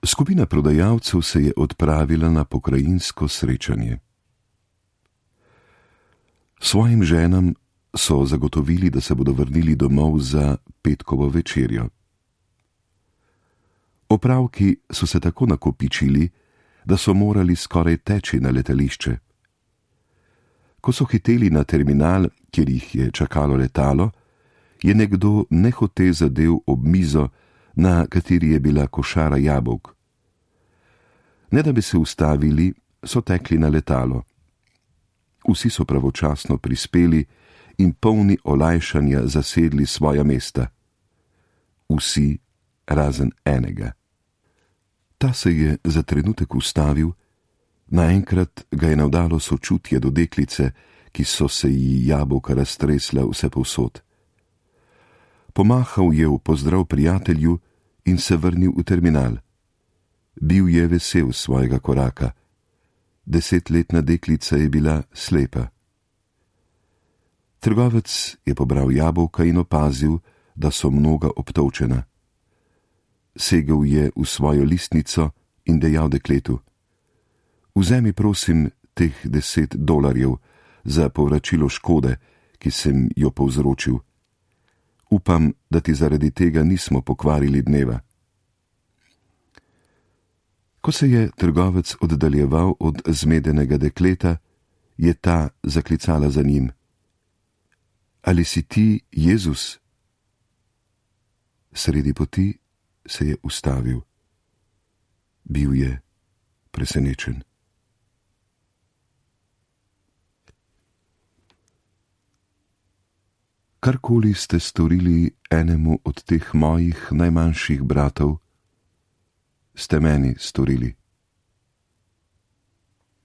Skupina prodajalcev se je odpravila na pokrajinsko srečanje. Svojim ženam so zagotovili, da se bodo vrnili domov za petkovo večerjo. Opravki so se tako nakopičili, da so morali skoraj teči na letališče. Ko so hiteli na terminal, kjer jih je čakalo letalo, je nekdo nehote zadel ob mizo, na kateri je bila košara jabolk. Ne da bi se ustavili, so tekli na letalo. Vsi so pravočasno prispeli in polni olajšanja zasedli svoja mesta. Vsi razen enega. Ta se je za trenutek ustavil, naenkrat ga je navdalo sočutje do deklice, ki so se ji jabolka raztresla vsepovsod. Pomahal je v pozdrav prijatelju in se vrnil v terminal. Bil je vesel svojega koraka. 10-letna deklica je bila slepa. Trgovec je pobral jabolka in opazil, da so mnoga obtolčena. Segel je v svojo listnico in dejal dekletu: "Vzemi prosim teh $10 za povračilo škode, ki sem jo povzročil. Upam, da ti zaradi tega nismo pokvarili dneva." Ko se je trgovec oddaljeval od zmedenega dekleta, je ta zaklicala za njim: "Ali si ti Jezus?" Sredi poti se je ustavil. Bil je presenečen. Karkoli ste storili enemu od teh mojih najmanjših bratov, ste meni storili.